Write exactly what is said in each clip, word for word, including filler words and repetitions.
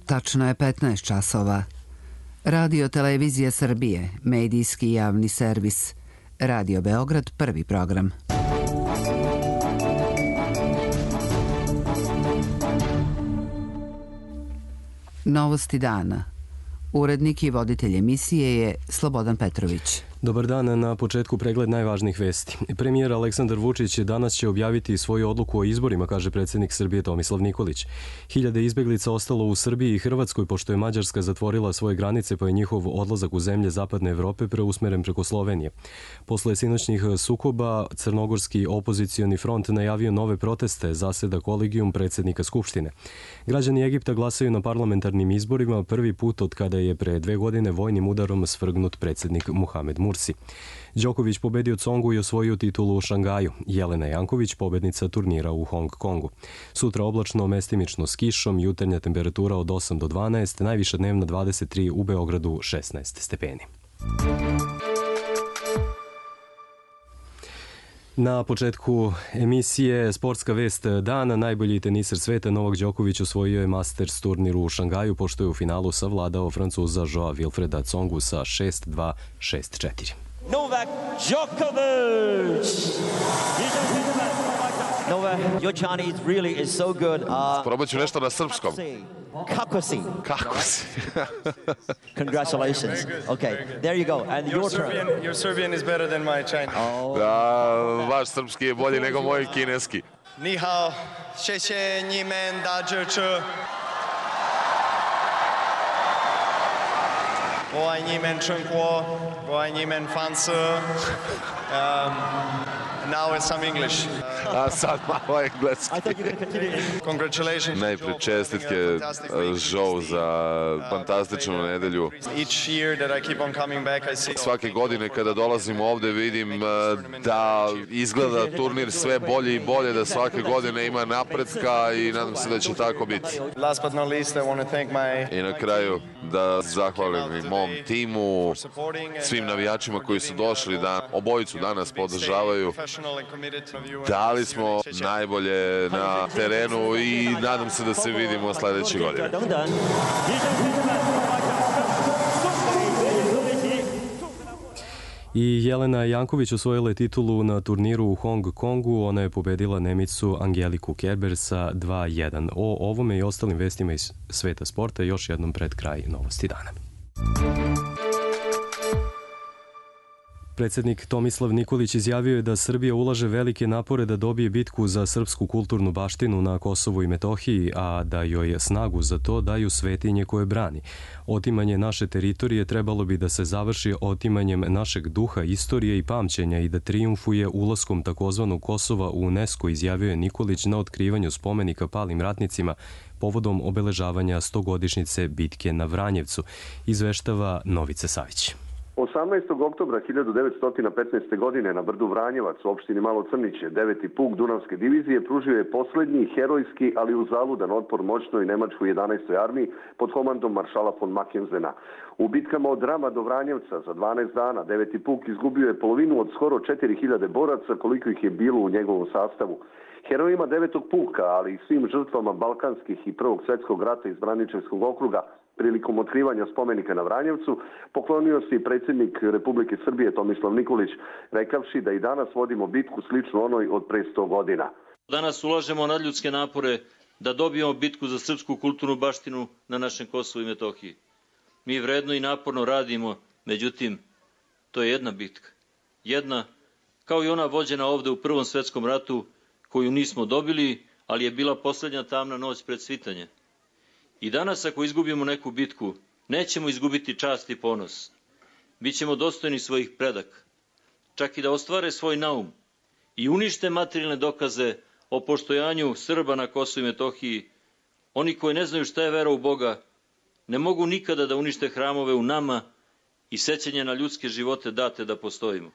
Tačno je petnaest časova. Radio Televizija Srbije, medijski javni servis. Radio Beograd, prvi program. Novosti dana. Urednik i voditelj emisije je Slobodan Petrović. Dobar dan, na početku pregled najvažnijih vesti. Premijer Aleksandar Vučić danas će objaviti svoju odluku o izborima, kaže predsjednik Srbije Tomislav Nikolić. Hiljade izbeglica ostalo u Srbiji i Hrvatskoj pošto je Mađarska zatvorila svoje granice, pa je njihov odlazak u zemlje Zapadne Evrope preusmeren preko Slovenije. Posle sinoćnih sukoba, Crnogorski opozicioni front najavio nove proteste, zaseda kolegijum predsjednika Skupštine. Građani Egipta glasaju na parlamentarnim izborima prvi put od kada je pre dve godine vojnim udarom svrgnut predsjednik Muhamed Mursi. Đoković pobedio Tsongu i osvojio titulu u Šangaju. Jelena Janković pobednica turnira u Hong Kongu. Sutra oblačno, mestimično s kišom, jutarnja temperatura od osam do dvanaest, najviša dnevna dvadeset tri, u Beogradu šesnaest stepeni. Na početku emisije sportska vest dana. Najbolji teniser sveta Novak Đoković osvojio je Masters turnir u Šangaju pošto je u finalu savladao Francuza Joa Wilfreda Tsongu sa šest dva, šest četiri. Novak Djokovic! Novak, your Chinese really is so good. Uh, Probat ću nešto na srpskom. Kako si? Kako si? Congratulations. Okay, there you go. And your, your turn. Serbian, your Serbian is better than my Chinese. Oh. Da, vaš srpski je bolji nego moj kineski. Ni hao, xie xie ni men da zhe che. 我爱你们中国，我爱你们France。Um, now it's some English. A sad malo engleski. I thought you were going to continue in. Congratulations. Najpre čestitke Joe za fantastičnu nedelju. Each year that I keep on coming back, I see. Svake godine kada dolazim ovde vidim da izgleda turnir sve bolje i bolje, da svake godine ima napretka i nadam se da će tako biti. Last but not least, I want to thank my. I na kraju da zahvalim i mom timu, svim navijačima koji su došli da obojicu danas podržavaju. Dali smo najbolje na terenu i nadam se da se vidimo sledeće godine. I Jelena Janković osvojila je titulu na turniru u Hong Kongu. Ona je pobedila Nemicu Angeliku Kerber sa dva jedan. O ovome i ostalim vestima iz sveta sporta još jednom pred kraj novosti dana. Predsjednik Tomislav Nikolić izjavio je da Srbija ulaže velike napore da dobije bitku za srpsku kulturnu baštinu na Kosovu i Metohiji, a da joj snagu za to daju svetinje koje brani. Otimanje naše teritorije trebalo bi da se završi otimanjem našeg duha, istorije i pamćenja i da trijumfuje ulaskom takozvanog Kosova u UNESCO, izjavio je Nikolić na otkrivanju spomenika palim ratnicima povodom obeležavanja stogodišnjice bitke na Vranjevcu, izveštava Novice Savić. osamnaestog oktobra hiljadu devetsto petnaeste. godine na brdu Vranjevac u opštini Malo Crniće, deveti puk Dunavske divizije pružio je poslednji herojski, ali uzaludan otpor moćnoj nemačkoj jedanaestoj armiji pod komandom maršala von Mackenzena. U bitkama od Rama do Vranjevca za dvanaest dana deveti puk izgubio je polovinu od skoro četiri hiljade boraca koliko ih je bilo u njegovom sastavu. Herojima devetog puka, ali i svim žrtvama Balkanskih i Prvog svjetskog rata iz Braničevskog okruga prilikom otkrivanja spomenika na Vranjevcu poklonio se i predsjednik Republike Srbije Tomislav Nikolić, rekavši da i danas vodimo bitku sličnu onoj od pre sto godina. Danas ulažemo nadljudske napore da dobijemo bitku za srpsku kulturnu baštinu na našem Kosovu i Metohiji. Mi vredno i naporno radimo, međutim, to je jedna bitka. Jedna, kao i ona vođena ovde u Prvom svjetskom ratu, koju nismo dobili, ali je bila posljednja tamna noć pred svitanje. I danas ako izgubimo neku bitku, nećemo izgubiti čast i ponos. Bićemo dostojni svojih predaka, čak i da ostvare svoj naum i unište materijalne dokaze o poštojanju Srba na Kosovu i Metohiji. Oni koji ne znaju šta je vera u Boga, ne mogu nikada da unište hramove u nama i sećanje na ljudske živote date da postojimo.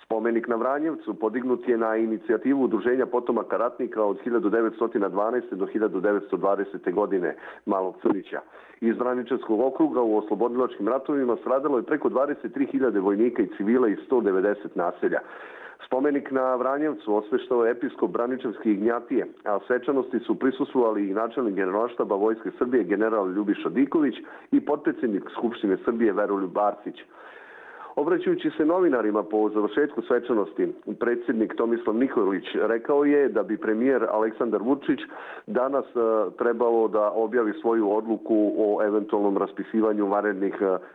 Spomenik na Vranjevcu podignut je na inicijativu Udruženja potomaka ratnika od hiljadu devetsto dvanaeste. do hiljadu devetsto dvadesete. godine Malog Crnića. Iz Braničevskog okruga u oslobodilačkim ratovima stradalo je preko dvadeset tri hiljade vojnika i civila i sto devedeset naselja. Spomenik na Vranjevcu osveštao je episkop Braničevski Ignjatije, a svečanosti su prisustvovali i načelnik Generalštaba Vojske Srbije general Ljubiša Diković i potpredsjednik Skupštine Srbije Veroljub Arsić. Obraćajući se novinarima po završetku svečanosti, predsjednik Tomislav Nikolić rekao je da bi premijer Aleksandar Vučić danas trebalo da objavi svoju odluku o eventualnom raspisivanju vanrednih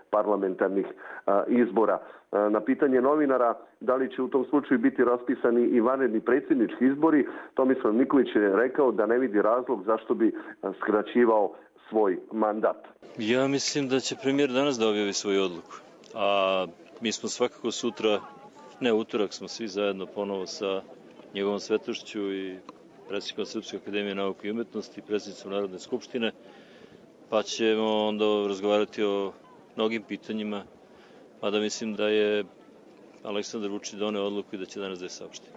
parlamentarnih izbora. Na pitanje novinara da li će u tom slučaju biti raspisani i vanredni predsjednički izbori, Tomislav Nikolić je rekao da ne vidi razlog zašto bi skraćivao svoj mandat. Ja mislim da će premijer danas da objavi svoju odluku, a mi smo svakako sutra, ne utorak, smo svi zajedno ponovo sa njegovom svetošću i predsjednikom Srpske akademije nauke i umetnosti, predsjednicom Narodne skupštine, pa ćemo onda razgovarati o mnogim pitanjima, mada mislim da je Aleksandar Vučić doneo odluku i da će danas da je saopšti.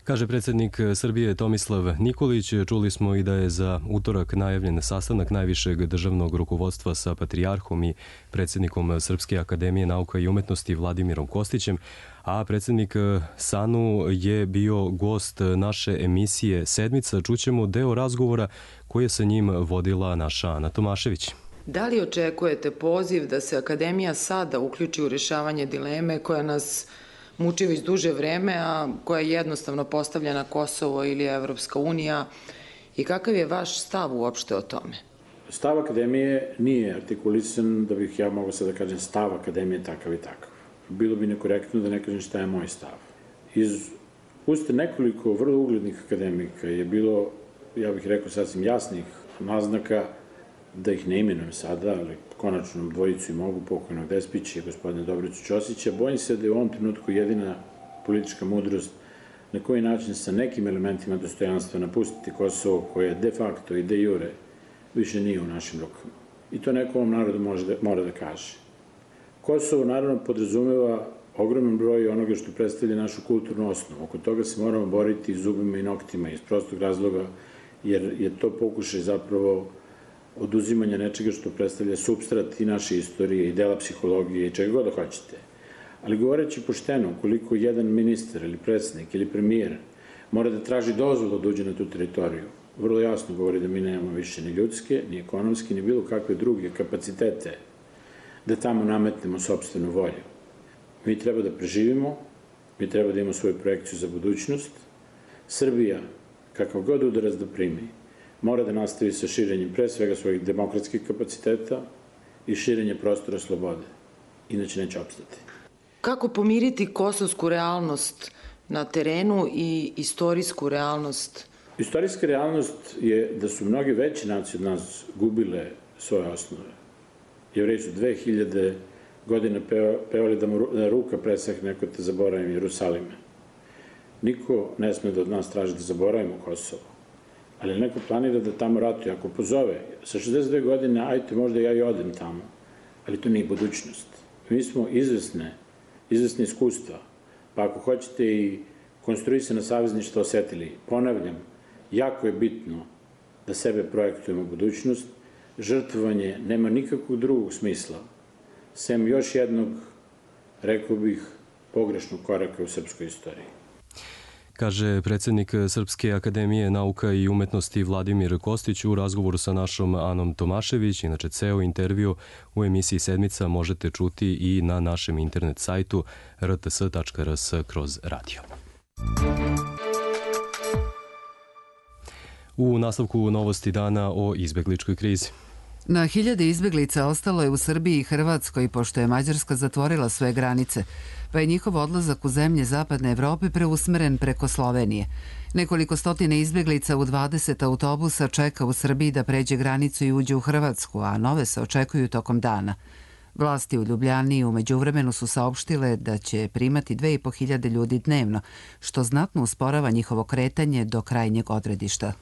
Kaže predsjednik Srbije Tomislav Nikolić. Čuli smo i da je za utorak najavljen sastanak najvišeg državnog rukovodstva sa patrijarhom i predsjednikom Srpske akademije nauka i umetnosti Vladimirom Kostićem, a predsjednik Sanu je bio gost naše emisije Sedmica. Čućemo deo razgovora koji je sa njim vodila naša Ana Tomašević. Da li očekujete poziv da se Akademija sada uključi u rješavanje dileme koja nas muči već duže vreme, a koja je jednostavno postavljena Kosovo ili Evropska unija, i kakav je vaš stav uopšte o tome? Stav Akademije nije artikulisan da bih ja mogao sad da kažem stav Akademije takav i takav. Bilo bi nekorektno da ne kažem šta je moj stav. Iz usta nekoliko vrlo uglednih akademika je bilo, ja bih rekao, sasvim jasnih naznaka, da ih ne imenujem sada, ali konačno dvojicu i mogu, pokojnog Despića i gospodina Dobricu Ćosića. Bojim se da je u ovom trenutku jedina politička mudrost na koji način sa nekim elementima dostojanstva napustiti Kosovo, koje de facto i de jure više nije u našim rukama. I to neko ovom narodu može da, mora da kaže. Kosovo naravno podrazumeva ogroman broj onoga što predstavlja našu kulturnu osnovu. Oko toga se moramo boriti zubima i noktima iz prostog razloga, jer je to pokušaj zapravo oduzimanja nečega što predstavlja supstrat i naše istorije i dela psihologije i čega god da hoćete. Ali govoreći pošteno, koliko jedan ministar ili predsjednik ili premijer mora da traži dozvolu da uđe na tu teritoriju, vrlo jasno govori da mi nemamo više ni ljudske, ni ekonomske, ni bilo kakve druge kapacitete da tamo nametnemo sopstvenu volju. Mi treba da preživimo, mi treba da imamo svoju projekciju za budućnost. Srbija, kakav god udarac da primi, mora da nastavi sa širenjem pre svega svojih demokratskih kapaciteta i širenje prostora slobode. Inače neće opstati. Kako pomiriti kosovsku realnost na terenu i istorijsku realnost? Istorijska realnost je da su mnoge veće nacije od nas gubile svoje osnove. Jevreji su dve hiljade godine pevali da mu ruka presahne ako te zaboravim Jerusalime. Niko ne sme da od nas traži da zaboravimo Kosovo. Ali neko planira da tamo ratuje. Ako pozove, sa šezdeset dve godine, ajte, možda ja i odem tamo. Ali to nije budućnost. Mi smo izvesne, izvesne iskustva. Pa ako hoćete i konstruisana savezništva osetili, ponavljam, jako je bitno da sebe projektujemo u budućnost. Žrtvovanje nema nikakvog drugog smisla, sem još jednog, rekao bih, pogrešnog koraka u srpskoj istoriji. Kaže predsjednik Srpske akademije nauka i umetnosti Vladimir Kostić u razgovoru sa našom Anom Tomašević. Inače, ceo intervju u emisiji Sedmica možete čuti i na našem internet sajtu r t s tačka r s kroz radio. U nastavku novosti dana o izbegličkoj krizi. Na hiljade izbeglica ostalo je u Srbiji i Hrvatskoj, pošto je Mađarska zatvorila sve granice, pa je njihov odlazak u zemlje Zapadne Evrope preusmeren preko Slovenije. Nekoliko stotine izbeglica u dvadeset autobusa čeka u Srbiji da pređe granicu i uđe u Hrvatsku, a nove se očekuju tokom dana. Vlasti u Ljubljani u međuvremenu su saopštile da će primati dve i po hiljade ljudi dnevno, što znatno usporava njihovo kretanje do krajnjeg odredišta.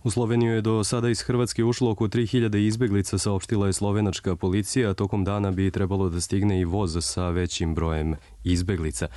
U Sloveniju je do sada iz Hrvatske ušlo oko tri hiljade izbeglica, saopštila je slovenačka policija, a tokom dana bi trebalo da stigne i voz sa većim brojem izbeglica.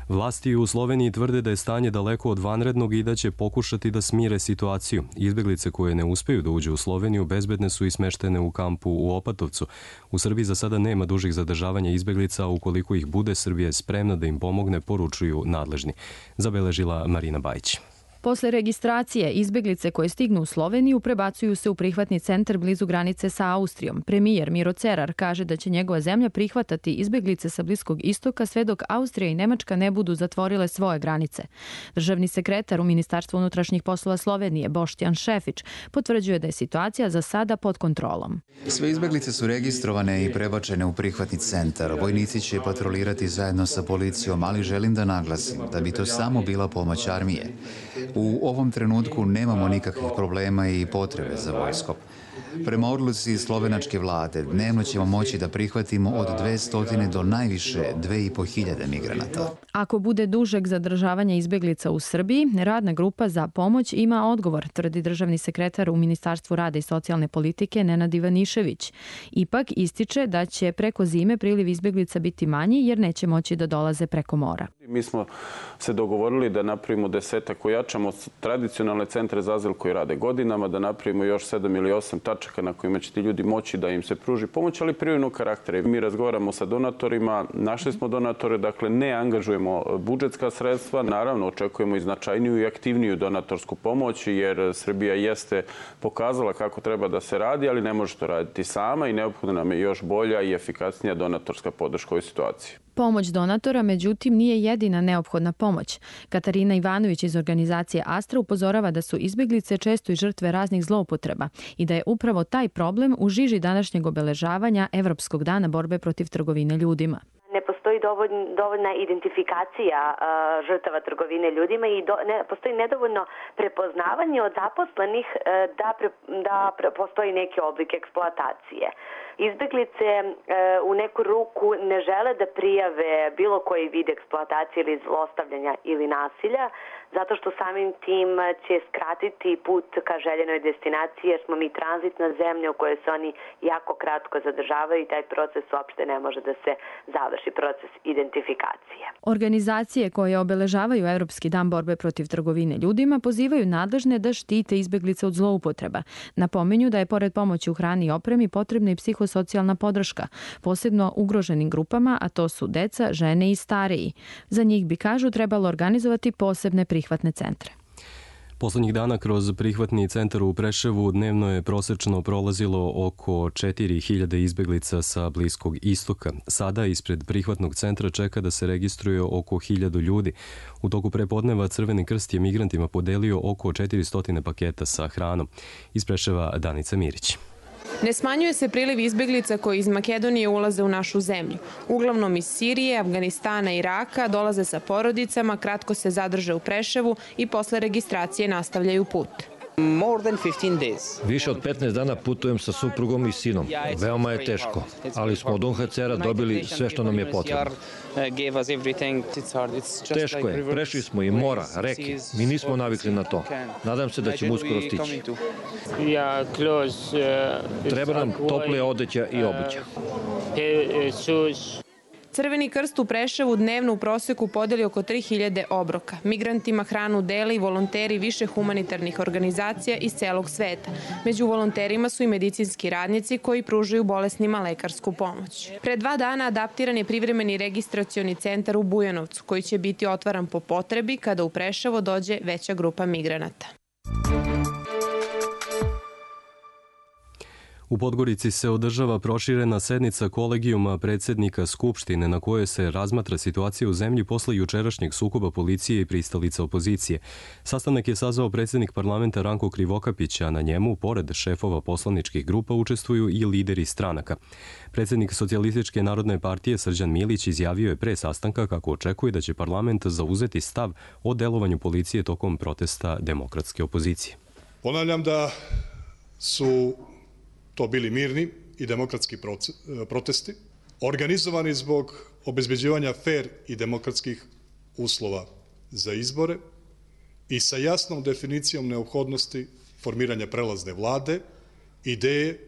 Vlasti u Sloveniji tvrde da je stanje daleko od vanrednog i da će pokušati da smire situaciju. Izbeglice koje ne uspeju da uđu u Sloveniju bezbedne su i smeštene u kampu u Opatovcu. U Srbiji za sada nema dužih zadržavanja izbeglica, a ukoliko ih bude, Srbija je spremna da im pomogne, poručuju nadležni. Zabeležila Marina Bajić. Posle registracije, izbeglice koje stignu u Sloveniju prebacuju se u prihvatni centar blizu granice sa Austrijom. Premijer Miro Cerar kaže da će njegova zemlja prihvatati izbeglice sa Bliskog istoka sve dok Austrija i Nemačka ne budu zatvorile svoje granice. Državni sekretar u Ministarstvu unutrašnjih poslova Slovenije, Boštjan Šefić, potvrđuje da je situacija za sada pod kontrolom. Sve izbeglice su registrovane i prebačene u prihvatni centar. Vojnici će patrolirati zajedno sa policijom, ali želim da naglasim da bi to samo bila pomoć armije. U ovom trenutku nemamo nikakvih problema i potrebe za vojskom. Prema odluci slovenačke vlade dnevno ćemo moći da prihvatimo od dvesta do najviše dve i po hiljade migranata. Ako bude dužeg zadržavanja izbeglica u Srbiji, radna grupa za pomoć ima odgovor, tvrdi državni sekretar u Ministarstvu rada i socijalne politike Nenad Ivanišević. Ipak ističe da će preko zime priliv izbeglica biti manji jer neće moći da dolaze preko mora. Mi smo se dogovorili da napravimo desetak, ojačamo tradicionalne centre za azil koji rade godinama, da napravimo još sedam ili osam tačaka na kojima će ti ljudi moći da im se pruži pomoć, ali privremenog karaktera. Mi razgovaramo sa donatorima, našli smo donatore, dakle ne angažujemo budžetska sredstva, naravno očekujemo i značajniju i aktivniju donatorsku pomoć, jer Srbija jeste pokazala kako treba da se radi, ali ne može to raditi sama i neophodna nam je još bolja i efikasnija donatorska podrška u ovoj situaciji. Pomoć donatora, međutim, nije jedina neophodna pomoć. Katarina Ivanović iz organizacije Astra upozorava da su izbeglice često i žrtve raznih zloupotreba i da je upravo taj problem u žiži današnjeg obeležavanja Evropskog dana borbe protiv trgovine ljudima. Ne postoji dovoljna identifikacija uh, žrtava trgovine ljudima i do, ne, postoji nedovoljno prepoznavanje od zaposlenih uh, da, pre, da pre, postoji neki oblik eksploatacije. Izbeglice uh, u neku ruku ne žele da prijave bilo koji vid eksploatacije ili zlostavljanja ili nasilja, zato što samim tim će skratiti put ka željenoj destinaciji, jer smo mi tranzitna zemlja u kojoj se oni jako kratko zadržavaju i taj proces uopšte ne može da se završi, proces identifikacije. Organizacije koje obeležavaju Evropski dan borbe protiv trgovine ljudima pozivaju nadležne da štite izbeglice od zloupotreba. Napominju da je pored pomoći u hrani i opremi potrebna i psihosocijalna podrška, posebno ugroženim grupama, a to su deca, žene i stariji. Za njih bi, kažu, trebalo organizovati posebne prihvatne centre. Poslednjih dana kroz prihvatni centar u Preševu dnevno je prosečno prolazilo oko četiri hiljade izbeglica sa Bliskog istoka. Sada ispred prihvatnog centra čeka da se registruje oko hiljadu ljudi. U toku prepodneva Crveni krst je migrantima podelio oko četiristo paketa sa hranom. Iz Preševa Danica Mirić. Ne smanjuje se priliv izbeglica koji iz Makedonije ulaze u našu zemlju. Uglavnom iz Sirije, Afganistana i Iraka dolaze sa porodicama, kratko se zadrže u Preševu i posle registracije nastavljaju put. Više od petnaest dana putujem sa suprugom i sinom. Veoma je teško, ali smo od U N H C R-a dobili sve što nam je potrebno. Teško je, prešli smo i mora, reke. Mi nismo navikli na to. Nadam se da ćemo uskoro stići. Treba nam tople odeća i obuća. Crveni krst u Preševu dnevno u proseku podeli oko tri hiljade obroka. Migrantima hranu dele i volonteri više humanitarnih organizacija iz celog sveta. Među volonterima su i medicinski radnici koji pružaju bolesnima lekarsku pomoć. Pre dva dana adaptiran je privremeni registracioni centar u Bujanovcu, koji će biti otvaran po potrebi kada u Preševo dođe veća grupa migranata. U Podgorici se održava proširena sednica kolegijuma predsednika Skupštine na kojoj se razmatra situacija u zemlji posle jučerašnjeg sukoba policije i pristalica opozicije. Sastanak je sazvao predsednik parlamenta Ranko Krivokapić, a na njemu, pored šefova poslaničkih grupa, učestvuju i lideri stranaka. Predsednik Socijalističke narodne partije Srđan Milić izjavio je pre sastanka kako očekuje da će parlament zauzeti stav o delovanju policije tokom protesta demokratske opozicije. Ponavljam da su to bili mirni i demokratski protesti, organizovani zbog obezbeđivanja fer i demokratskih uslova za izbore i sa jasnom definicijom neophodnosti formiranja prelazne vlade, ideje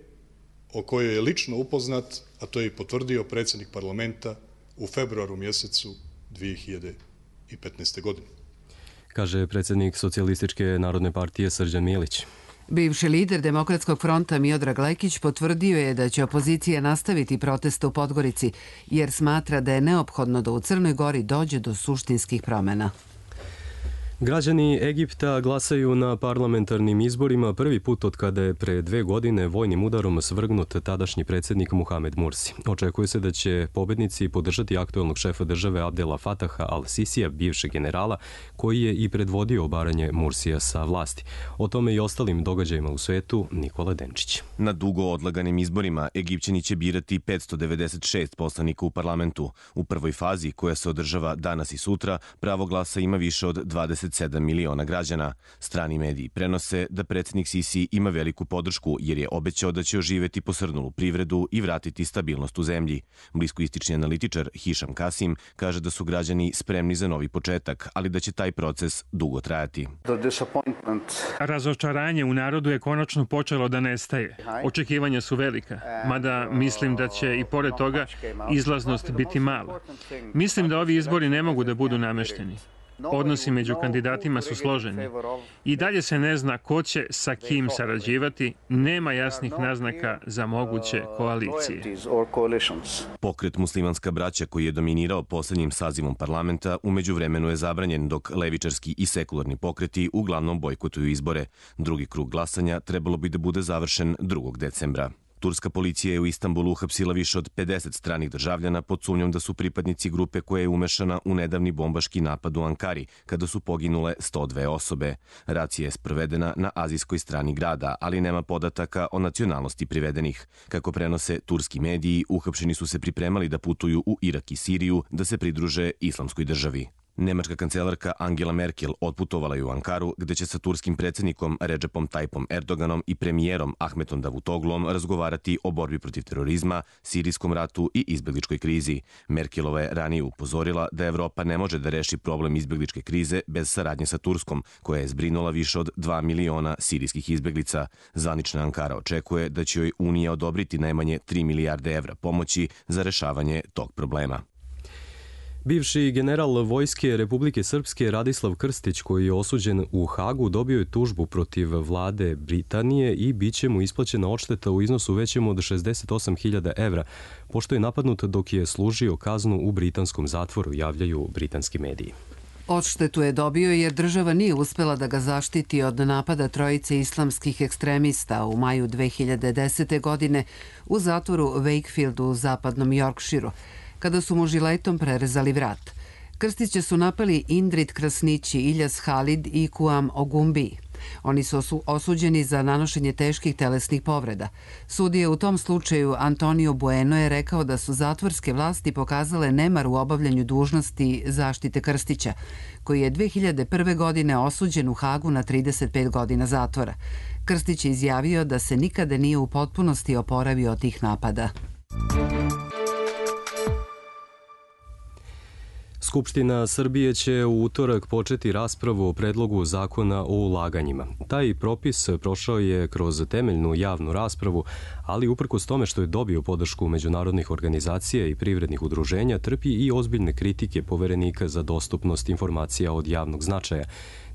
o kojoj je lično upoznat, a to je i potvrdio predsjednik parlamenta u februaru mjesecu dvije hiljade petnaeste. godine. Kaže predsjednik Socijalističke narodne partije Srđan Milić. Bivši lider Demokratskog fronta Miodrag Lekić potvrdio je da će opozicija nastaviti proteste u Podgorici, jer smatra da je neophodno da u Crnoj Gori dođe do suštinskih promjena. Građani Egipta glasaju na parlamentarnim izborima prvi put od kada je pre dve godine vojnim udarom svrgnut tadašnji predsjednik Muhamed Mursi. Očekuje se da će pobednici podržati aktuelnog šefa države Abdela Fataha al-Sisija, bivšeg generala, koji je i predvodio obaranje Mursija sa vlasti. O tome i ostalim događajima u svetu Nikola Denčić. Na dugo odlaganim izborima Egipćani će birati petsto devedeset šest poslanika u parlamentu. U prvoj fazi, koja se održava danas i sutra, pravo glasa ima više od dvadeset sedam miliona građana. Strani mediji prenose da predsjednik Sisi ima veliku podršku jer je obećao da će oživeti posrnulu privredu i vratiti stabilnost u zemlji. Bliskoistični analitičar Hišam Kasim kaže da su građani spremni za novi početak, ali da će taj proces dugo trajati. Razočaranje u narodu je konačno počelo da nestaje. Očekivanja su velika, mada mislim da će i pored toga izlaznost biti mala. Mislim da ovi izbori ne mogu da budu namešteni. Odnosi među kandidatima su složeni. I dalje se ne zna ko će sa kim sarađivati, nema jasnih naznaka za moguće koalicije. Pokret Muslimanska braća, koji je dominirao posljednjim sazivom parlamenta, u međuvremenu je zabranjen, dok levičarski i sekularni pokreti uglavnom bojkotuju izbore. Drugi krug glasanja trebalo bi da bude završen drugog decembra. Turska policija je u Istanbulu uhapsila više od pedeset stranih državljana pod sumnjom da su pripadnici grupe koja je umešana u nedavni bombaški napad u Ankari, kada su poginule sto dve osobe. Racija je sprovedena na azijskoj strani grada, ali nema podataka o nacionalnosti privedenih. Kako prenose turski mediji, uhapšeni su se pripremali da putuju u Irak i Siriju da se pridruže islamskoj državi. Nemačka kancelarka Angela Merkel otputovala je u Ankaru, gde će sa turskim predsjednikom Recepom Tayyipom Erdoganom i premijerom Ahmetom Davutoglom razgovarati o borbi protiv terorizma, sirijskom ratu i izbjegličkoj krizi. Merkelova je ranije upozorila da Evropa ne može da reši problem izbjegličke krize bez saradnje sa Turskom, koja je zbrinula više od dva miliona sirijskih izbjeglica. Zvanična Ankara očekuje da će joj Unija odobriti najmanje tri milijarde evra pomoći za rešavanje tog problema. Bivši general Vojske Republike Srpske Radislav Krstić, koji je osuđen u Hagu, dobio je tužbu protiv vlade Britanije i bit će mu isplaćena odšteta u iznosu većem od šezdeset osam hiljada evra, pošto je napadnut dok je služio kaznu u britanskom zatvoru, javljaju britanski mediji. Odštetu je dobio jer država nije uspela da ga zaštiti od napada trojice islamskih ekstremista u maju dve hiljade desete. godine u zatvoru Wakefield u zapadnom Yorkshireu, kada su mu žiletom prerezali vrat. Krstiće su napali Indrid Krasnići, Iljas Halid i Kuam Ogumbi. Oni su osuđeni za nanošenje teških telesnih povreda. Sudija u tom slučaju Antonio Bueno je rekao da su zatvorske vlasti pokazale nemar u obavljanju dužnosti zaštite Krstića, koji je dve hiljade prve. godine osuđen u Hagu na trideset pet godina zatvora. Krstić je izjavio da se nikada nije u potpunosti oporavio od tih napada. Skupština Srbije će u utorak početi raspravu o predlogu zakona o ulaganjima. Taj propis prošao je kroz temeljnu javnu raspravu, ali uprkos tome što je dobio podršku međunarodnih organizacija i privrednih udruženja, trpi i ozbiljne kritike Poverenika za dostupnost informacija od javnog značaja.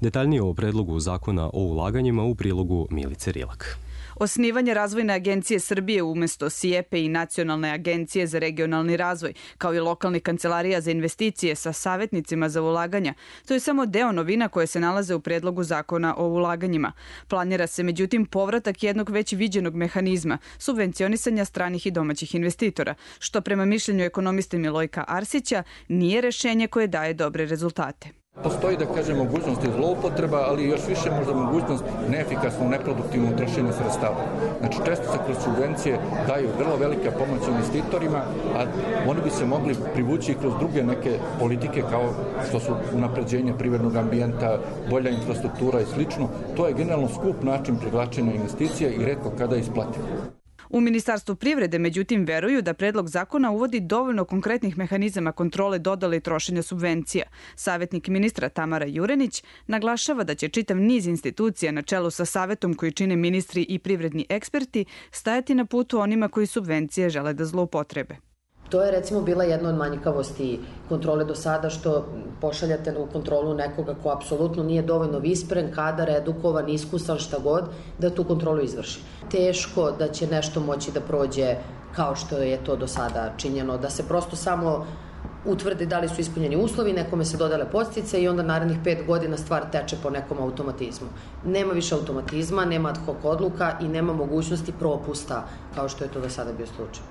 Detaljnije o predlogu zakona o ulaganjima u prilogu Milice Rilak. Osnivanje Razvojne agencije Srbije umesto SIEPE i Nacionalne agencije za regionalni razvoj, kao i lokalnih kancelarija za investicije sa savjetnicima za ulaganja, to je samo deo novina koje se nalaze u predlogu zakona o ulaganjima. Planira se međutim povratak jednog već viđenog mehanizma, subvencionisanja stranih i domaćih investitora, što prema mišljenju ekonomiste Milojka Arsića nije rešenje koje daje dobre rezultate. Postoji, da kažem, mogućnost zloupotreba, ali još više možda mogućnost neefikasnog, neproduktivnog trošenja sredstava. Znači, često se kroz subvencije daju vrlo velika pomoć investitorima, a oni bi se mogli privući kroz druge neke politike kao što su unapređenje privrednog ambijenta, bolja infrastruktura i slično. To je generalno skup način privlačenja investicija i retko kada isplativo. U Ministarstvu privrede, međutim, veruju da predlog zakona uvodi dovoljno konkretnih mehanizama kontrole dodale i trošenja subvencija. Savjetnik ministra Tamara Jurenić naglašava da će čitav niz institucija na čelu sa savetom koji čine ministri i privredni eksperti stajati na putu onima koji subvencije žele da zloupotrebe. To je recimo bila jedna od manjkavosti kontrole do sada, što pošaljate u kontrolu nekoga ko apsolutno nije dovoljno vispren, kadar, edukovan, iskusan, šta god, da tu kontrolu izvrši. Teško da će nešto moći da prođe kao što je to do sada činjeno, da se prosto samo utvrde da li su ispunjeni uslovi, nekome se dodale podstice i onda narednih pet godina stvar teče po nekom automatizmu. Nema više automatizma, nema ad hoc odluka i nema mogućnosti propusta kao što je to do sada bio slučaj.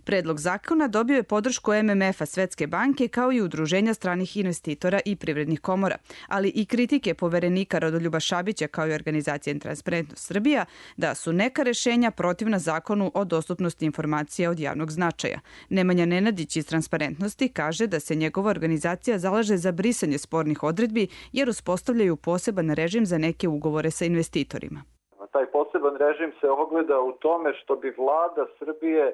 Predlog zakona dobio je podršku M M F-a, Svetske banke, kao i Udruženja stranih investitora i privrednih komora, ali i kritike poverenika Rodoljuba Šabića kao i organizacije Transparentnost Srbija da su neka rešenja protivna zakonu o dostupnosti informacija od javnog značaja. Nemanja Nenadić iz Transparentnosti kaže da se njegova organizacija zalaže za brisanje spornih odredbi jer uspostavljaju poseban režim za neke ugovore sa investitorima. Taj poseban režim se ogleda u tome što bi vlada Srbije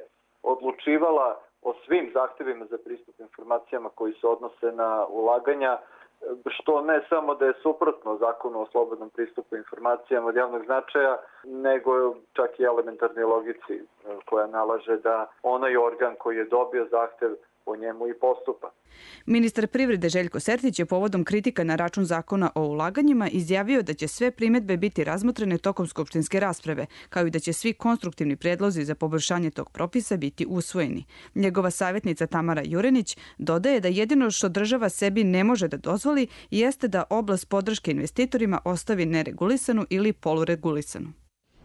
odlučivala o svim zahtevima za pristup informacijama koji se odnose na ulaganja, što ne samo da je suprotno zakonu o slobodnom pristupu informacijama od javnog značaja, nego čak i elementarnoj logici koja nalaže da onaj organ koji je dobio zahtev po njemu i postupa. Ministar privrede Željko Sertić je povodom kritika na račun zakona o ulaganjima izjavio da će sve primedbe biti razmotrene tokom skupštinske rasprave, kao i da će svi konstruktivni predlozi za poboljšanje tog propisa biti usvojeni. Njegova savjetnica Tamara Jurenić dodaje da jedino što država sebi ne može da dozvoli jeste da oblast podrške investitorima ostavi neregulisanu ili poluregulisanu.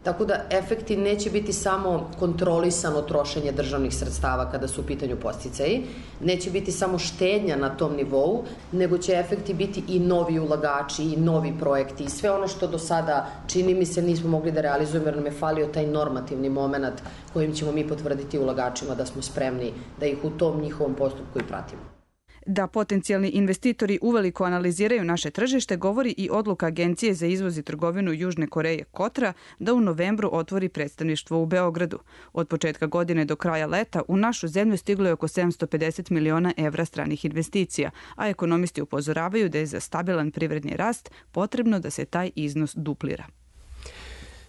Tako da efekti neće biti samo kontrolisano trošenje državnih sredstava kada su u pitanju podsticaji, neće biti samo štednja na tom nivou, nego će efekti biti i novi ulagači i novi projekti i sve ono što do sada čini mi se nismo mogli da realizujemo jer nam je falio taj normativni moment kojim ćemo mi potvrditi ulagačima da smo spremni da ih u tom njihovom postupku i pratimo. Da potencijalni investitori uveliko analiziraju naše tržište govori i odluka Agencije za izvoz i trgovinu Južne Koreje Kotra da u novembru otvori predstavništvo u Beogradu. Od početka godine do kraja leta u našu zemlju stiglo je oko sedamsto pedeset miliona evra stranih investicija, a ekonomisti upozoravaju da je za stabilan privredni rast potrebno da se taj iznos duplira.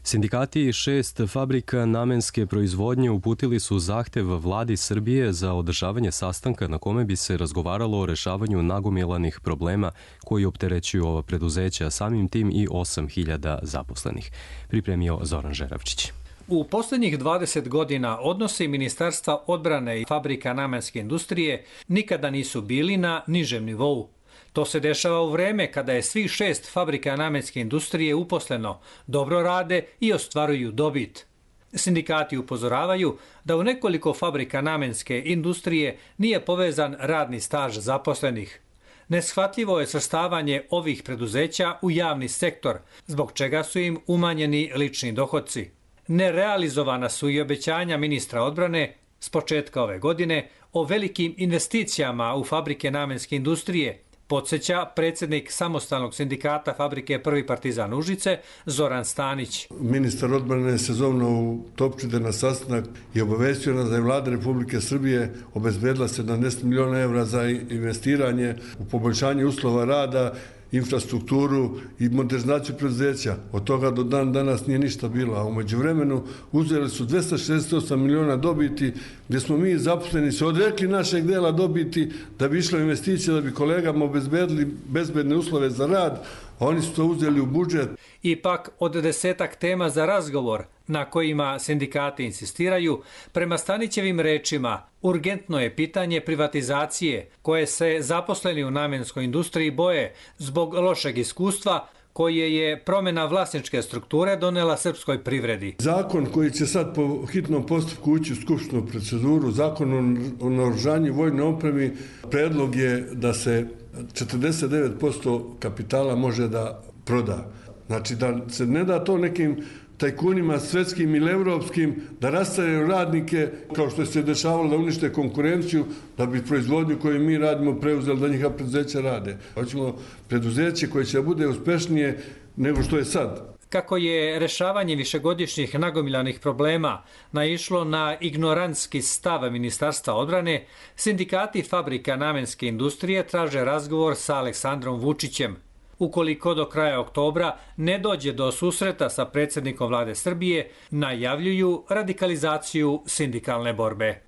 Sindikati šest fabrika namenske proizvodnje uputili su zahtev vladi Srbije za održavanje sastanka na kome bi se razgovaralo o rešavanju nagomilanih problema koji opterećuju ova preduzeća, samim tim i osam hiljada zaposlenih. Pripremio Zoran Žeravčić. U poslednjih dvadeset godina odnosi Ministarstva odbrane i fabrika namenske industrije nikada nisu bili na nižem nivou. To se dešava u vreme kada je svih šest fabrika namenske industrije uposleno, dobro rade i ostvaruju dobit. Sindikati upozoravaju da u nekoliko fabrika namenske industrije nije povezan radni staž zaposlenih. Neshvatljivo je svrstavanje ovih preduzeća u javni sektor, zbog čega su im umanjeni lični dohodci. Nerealizovana su i obećanja ministra odbrane s početka ove godine o velikim investicijama u fabrike namenske industrije, podsjeća predsjednik samostalnog sindikata fabrike Prvi Partizan Užice, Zoran Stanić. Ministar odbrane se zovno u Topčide na sastanak i obavestio nas da je vlada Republike Srbije obezbedila sedamdeset miliona evra za investiranje u poboljšanje uslova rada, infrastrukturu i modernizaciju preduzeća. Od toga do dan danas nije ništa bilo, a umeđu vremenu uzeli su dvesta šezdeset osam miliona dobiti, gdje smo mi zaposleni se odrekli našeg dela dobiti da bi išlo investicije, da bi kolegama obezbedili bezbedne uslove za rad, a oni su to uzeli u budžet. Ipak od desetak tema za razgovor na kojima sindikati insistiraju, prema Stanićevim rečima, urgentno je pitanje privatizacije koje se zaposleni u namenskoj industriji boje zbog lošeg iskustva koje je promjena vlasničke strukture donela srpskoj privredi. Zakon koji će sad po hitnom postupku ući u skupštinu proceduru, zakon o naoružanju i vojnoj opremi, predlog je da se četrdeset devet posto kapitala može da proda. Znači da se ne da to nekim tajkunima svetskim ili evropskim da rastavljaju radnike kao što se dešavalo da unište konkurenciju da bi proizvodnju koju mi radimo preuzeli da njihova preduzeća rade. Hoćemo preduzeće koje će bude uspešnije nego što je sad. kako je rešavanje višegodišnjih nagomilanih problema naišlo na ignorantski stav Ministarstva odbrane, sindikati fabrika namenske industrije traže razgovor sa Aleksandrom Vučićem. Ukoliko do kraja oktobra ne dođe do susreta sa predsjednikom vlade Srbije, najavljuju radikalizaciju sindikalne borbe.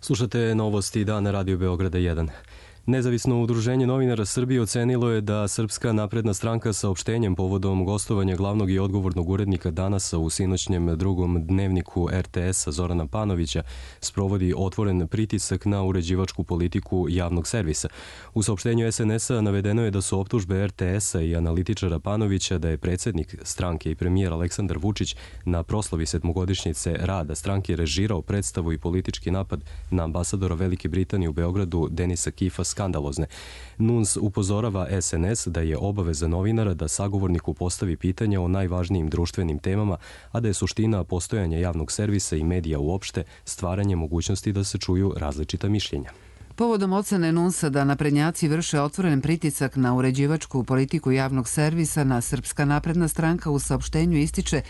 Slušate novosti Dana Radio Beograda jedan. Nezavisno udruženje novinara Srbije ocenilo je da Srpska napredna stranka saopštenjem povodom gostovanja glavnog i odgovornog urednika Danasa u sinoćnjem drugom dnevniku er te esa Zorana Panovića sprovodi otvoren pritisak na uređivačku politiku javnog servisa. U saopštenju es en esa navedeno je da su optužbe er te esa i analitičara Panovića da je predsjednik stranke i premijer Aleksandar Vučić na proslavi sedmogodišnjice rada stranke režirao predstavu i politički napad na ambasadora Velike Britanije u Beogradu Denisa Kifa skandalozne. Nuns upozorava es en es da je obaveza novinara da sagovorniku postavi pitanja o najvažnijim društvenim temama, a da je suština postojanja javnog servisa i medija uopšte stvaranje mogućnosti da se čuju različita mišljenja. Povodom ocene Nunsa da naprednjaci vrše otvoren pritisak na uređivačku politiku javnog servisa, na Srpska napredna stranka u saopštenju ističe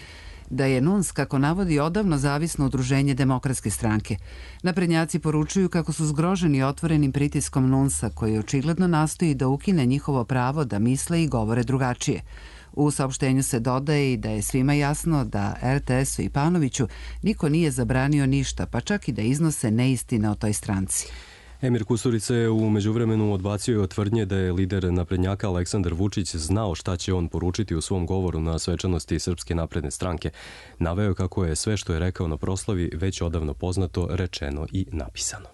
da je Nuns, kako navodi, odavno zavisno udruženje Demokratske stranke. Naprednjaci poručuju kako su zgroženi otvorenim pritiskom Nunsa, koji očigledno nastoji da ukine njihovo pravo da misle i govore drugačije. U saopštenju se dodaje i da je svima jasno da er te esu i Panoviću niko nije zabranio ništa, pa čak i da iznose neistine o toj stranci. Emir Kusturica je u međuvremenu odbacio od tvrdnje da je lider naprednjaka Aleksandar Vučić znao šta će on poručiti u svom govoru na svečanosti Srpske napredne stranke. Naveo je kako je sve što je rekao na proslavi već odavno poznato, rečeno i napisano.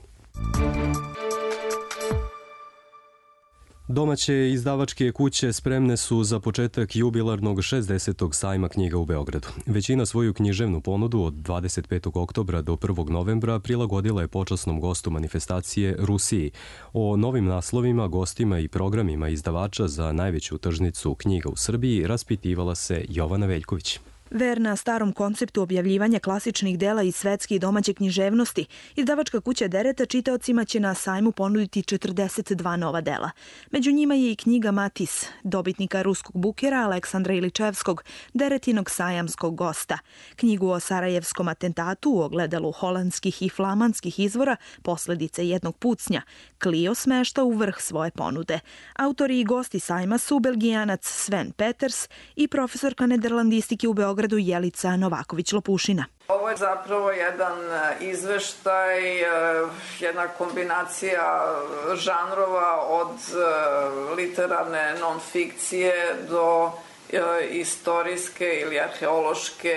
Domaće izdavačke kuće spremne su za početak jubilarnog šezdesetog sajma knjiga u Beogradu. Većina svoju književnu ponudu od dvadeset petog oktobra do prvog novembra prilagodila je počasnom gostu manifestacije Rusiji. O novim naslovima, gostima i programima izdavača za najveću tržnicu knjiga u Srbiji raspitivala se Jovana Veljković. Verna starom konceptu objavljivanja klasičnih dela iz svetske i domaće književnosti, izdavačka kuća Dereta čitaocima će na sajmu ponuditi četrdeset dva nova dela. Među njima je i knjiga Matis, dobitnika ruskog bukera Aleksandra Iličevskog, Deretinog sajamskog gosta. Knjigu o sarajevskom atentatu u ogledalu holandskih i flamanskih izvora, Posledice jednog pucnja, Clio smešta u vrh svoje ponude. Autori i gosti sajma su Belgijanac Sven Peters i profesorka nederlandistike u Beogradu Jelica Novaković-Lopušina. Ovo je zapravo jedan izveštaj, jedna kombinacija žanrova od literarne non-fikcije do istorijske ili arheološke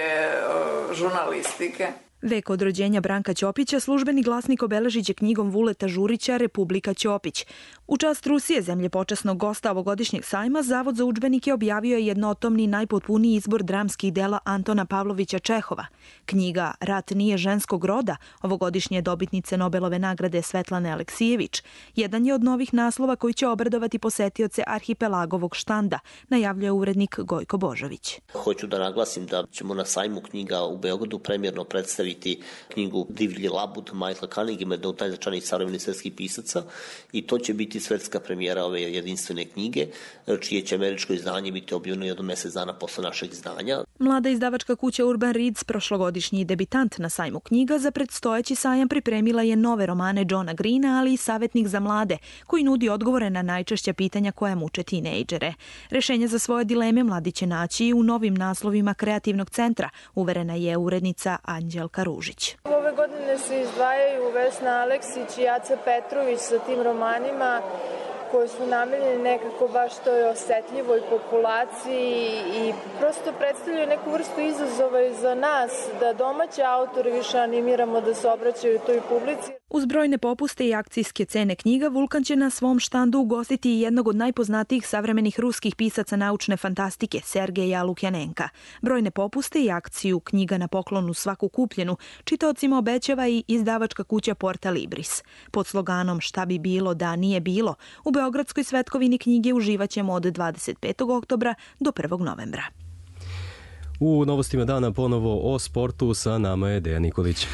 žurnalistike. Vek od rođenja Branka Ćopića službeni glasnik obeležit će knjigom Vuleta Žurića Republika Ćopić. U čast Rusije, zemlje počasnog gosta ovogodišnjeg sajma, Zavod za udžbenike objavio je jednotomni najpotpuniji izbor dramskih dela Antona Pavlovića Čehova. Knjiga Rat nije ženskog roda, ovogodišnje dobitnice Nobelove nagrade Svetlane Aleksijević, jedan je od novih naslova koji će obradovati posetioce arhipelagovog štanda, najavljuje urednik Gojko Božović. Hoću da naglasim da ćemo na sajmu knjiga u Beogradu premjerno predstaviti knjigu Divlji labud Michaela Cunninghama, jednog od najznačajnijih savremenih svetskih pisaca, i to će biti svetska premijera ove jedinstvene knjige, čije će američko izdanje biti objavljeno jedno mjesec dana posle našeg izdanja. Mlada izdavačka kuća Urban Reads, prošlogodišnji debitant na sajmu knjiga, za predstojeći sajam pripremila je nove romane Johna Greena, ali i Savjetnik za mlade, koji nudi odgovore na najčešća pitanja koja muče tinejdžere. Rešenje za svoje dileme mladi će naći u novim naslovima Kreativnog centra, uverena je urednica Anđelka Ružić. Ove godine se izdvajaju Vesna Aleksić i Aca Petrović sa tim romanima koji su namenjeni nekako baš toj osetljivoj populaciji i prosto predstavljaju neku vrstu izazova i za nas da domaće autore više animiramo da se obraćaju toj publici. Uz brojne popuste i akcijske cene knjiga, Vulkan će na svom štandu ugostiti i jednog od najpoznatijih savremenih ruskih pisaca naučne fantastike, Sergeja Lukjanenka. Brojne popuste i akciju knjiga na poklonu svaku kupljenu čitaocima obećava i izdavačka kuća Porta Libris. Pod sloganom Šta bi bilo da nije bilo, u Beogradskoj svetkovini knjige uživaćemo od dvadeset petog oktobra do prvog novembra. U novostima dana ponovo o sportu, sa nama je Dejan Nikolić.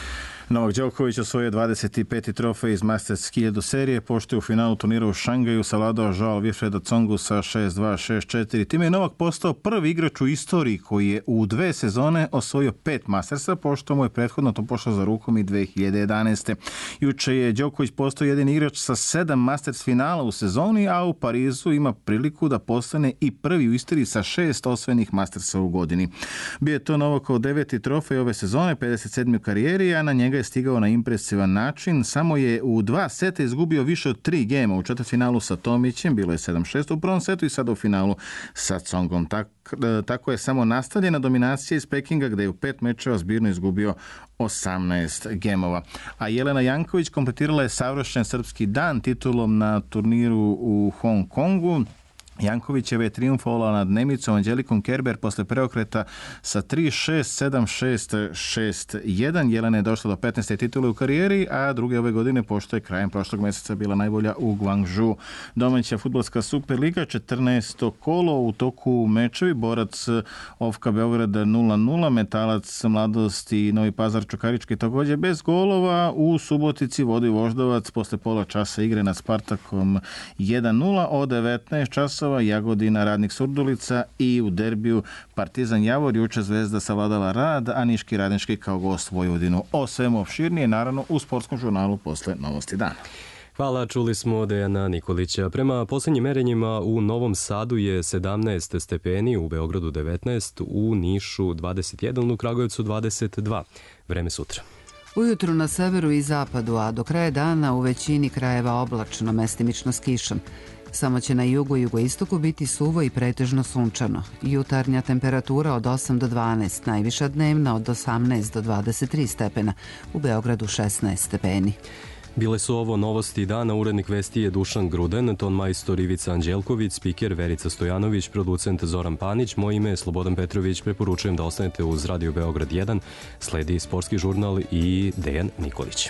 Novak Đoković osvojio dvadeset peti trofej iz Masters hiljadu serije, pošto je u finalu turnira u Šangaju savladao Joao Wilfreda Tsongu sa šest dva šest četiri. Time je Novak postao prvi igrač u istoriji koji je u dve sezone osvojio pet Mastersa, pošto mu je prethodno to pošlo za rukom i dve hiljade jedanaeste. Juče je Đoković postao jedini igrač sa sedam Masters finala u sezoni, a u Parizu ima priliku da postane i prvi u istoriji sa šest osvojenih Mastersa u godini. Bio je to Novakov deveti trofej ove sezone, pedeset sedmi u karijeri, a na njega je stigao na impresivan način. Samo je u dva seta izgubio više od tri gema. U četvrtfinalu sa Tomićem bilo je sedam šest u prvom setu i sada u finalu sa Tsongom. Tako, tako je samo nastavljena dominacija iz Pekinga, gde je u pet mečeva zbirno izgubio osamnaest gemova. A Jelena Janković kompletirala je savršen srpski dan titulom na turniru u Hong Kongu. Jankovićeva je triumfovala nad Nemicom Anđelikom Kerber posle preokreta sa tri šest sedam šest šest jedan. Jelena je došla do petnaeste titule u karijeri, a druge ove godine, pošto je krajem prošlog meseca bila najbolja u Guangzhou. Domaća fudbalska Superliga, četrnaesto kolo, u toku mečevi Borac Ofka Beograd nula nula, Metalac Mladost i Novi Pazar Čukarički također bez golova. U Subotici vodi Voždovac posle pola časa igre nad Spartakom jedan nula. Od devetnaest časova Jagodina Radnik Surdulica i u derbiju Partizan Javor. Juče Zvezda savladala Rad, a Niški Radnički kao gost Vojvodinu. O svemu opširnije, naravno, u sportskom žurnalu posle Novosti dana. Hvala, čuli smo Dejana Nikolića. Prema posljednjim merenjima u Novom Sadu je sedamnaest stepeni, u Beogradu devetnaest, u Nišu dvadeset jedan, u Kragujevcu dvadeset dva. Vreme sutra. Ujutru na severu i zapadu, a do kraja dana u većini krajeva oblačno, mestimično s kišom. Samo će na jugu i jugoistoku biti suvo i pretežno sunčano. Jutarnja temperatura od osam do dvanaest, najviša dnevna od osamnaest do dvadeset tri stepena, u Beogradu šesnaest stepeni. Bile su ovo novosti dana, urednik vesti je Dušan Gruden, ton majstor Ivica Anđelković, spiker Verica Stojanović, producent Zoran Panić, moje ime je Slobodan Petrović, preporučujem da ostanete uz Radio Beograd jedan, sledi sportski žurnal i Dejan Nikolić.